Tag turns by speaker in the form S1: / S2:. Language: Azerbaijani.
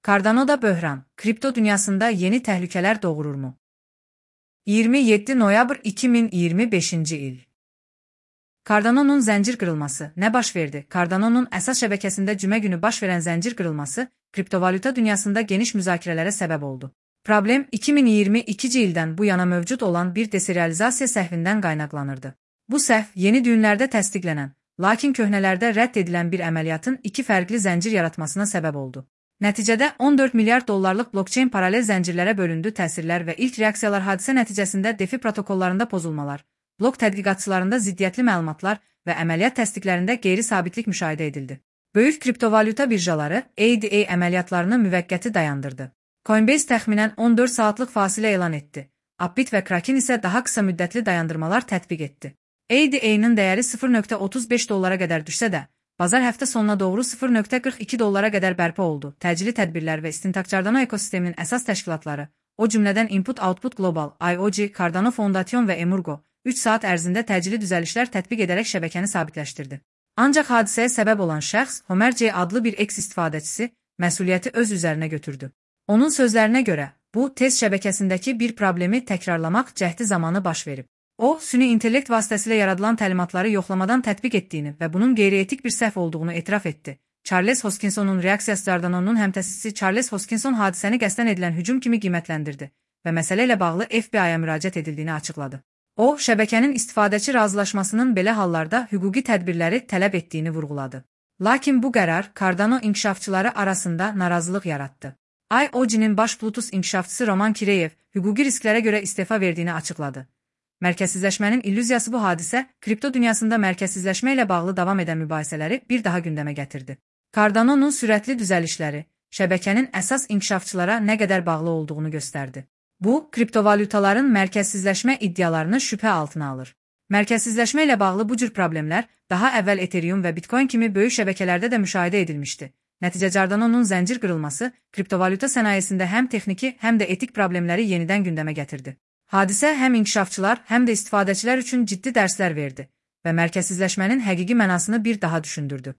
S1: Cardano'da böhran, kripto dünyasında yeni təhlükələr doğururmu? 27 noyabr 2025 il. Cardano'nun zəncir qırılması nə baş verdi? Cardano'nun əsas şəbəkəsində cümə günü baş verən zəncir qırılması kriptovalyuta dünyasında geniş müzakirələrə səbəb oldu. Problem 2022 ildən bu yana mövcud olan bir deserializasiya səhvindən qaynaqlanırdı. Bu səhv yeni düyünlərdə təsdiqlənən, lakin köhnələrdə rədd edilən bir əməliyyatın iki fərqli zəncir yaratmasına səbəb oldu. Nəticədə 14 milyard dollarlıq blockchain paralel zəncirlərə bölündü. Təsirlər və ilk reaksiyalar hadisə nəticəsində DeFi protokollarında pozulmalar, blok tədqiqatçılarında ziddiyyətli məlumatlar və əməliyyat təsdiqlərində qeyri-sabitlik müşahidə edildi. Böyük kriptovalyuta birjaları ADA əməliyyatlarını müvəqqəti dayandırdı. Coinbase təxminən 14 saatlıq fasilə elan etdi. Upbit və Kraken isə daha qısa müddətli dayandırmalar tətbiq etdi. ADA-nın dəyəri 0.35 dollara qədər düşsə də, bazar həftə sonuna doğru 0.42 dollara qədər bərpa oldu. Təcili tədbirlər və istintaq Cardano ekosisteminin əsas təşkilatları, o cümlədən Input-Output Global, IOG, Cardano Foundation və Emurgo, 3 saat ərzində təcili düzəlişlər tətbiq edərək şəbəkəni sabitləşdirdi. Ancaq hadisəyə səbəb olan şəxs, Homer J adlı bir X istifadəçisi, məsuliyyəti öz üzərinə götürdü. Onun sözlərinə görə, bu, test şəbəkəsindəki bir problemi təkrarlamaq cəhdi zamanı baş verib. O, süni intellekt vasitəsilə yaradılan təlimatları yoxlamadan tətbiq etdiyini və bunun qeyri-etik bir səhv olduğunu etiraf etdi. Charles Hoskinsonun reaksiyası Cardano'nun həmtəsisi Charles Hoskinson hadisəni qəsdən edilən hücum kimi qiymətləndirdi və məsələ ilə bağlı FBI-ya müraciət edildiyini açıqladı. O, şəbəkənin istifadəçi razılaşmasının belə hallarda hüquqi tədbirləri tələb etdiyini vurğuladı. Lakin bu qərar Cardano inkişafçıları arasında narazılıq yaratdı. IOG-nin baş Plutus inkişafçısı Roman Kireyev hüquqi risklərə görə istefa verdiyini açıqladı. Mərkəzsizləşmənin illüziyası bu hadisə, kripto dünyasında mərkəzsizləşmə ilə bağlı davam edən mübahisələri bir daha gündəmə gətirdi. Cardano'nun sürətli düzəlişləri, şəbəkənin əsas inkişafçılara nə qədər bağlı olduğunu göstərdi. Bu, kriptovalyutaların mərkəzsizləşmə iddialarını şübhə altına alır. Mərkəzsizləşmə ilə bağlı bu cür problemlər daha əvvəl Ethereum və Bitcoin kimi böyük şəbəkələrdə də müşahidə edilmişdi. Nəticə Cardano'nun zəncir qırılması kriptovalyuta sənayesində həm texniki, həm də etik problemləri yenidən gündəmə gətirdi. Hadisə həm inkişafçılar, həm də istifadəçilər üçün ciddi dərslər verdi və mərkəzsizləşmənin həqiqi mənasını bir daha düşündürdü.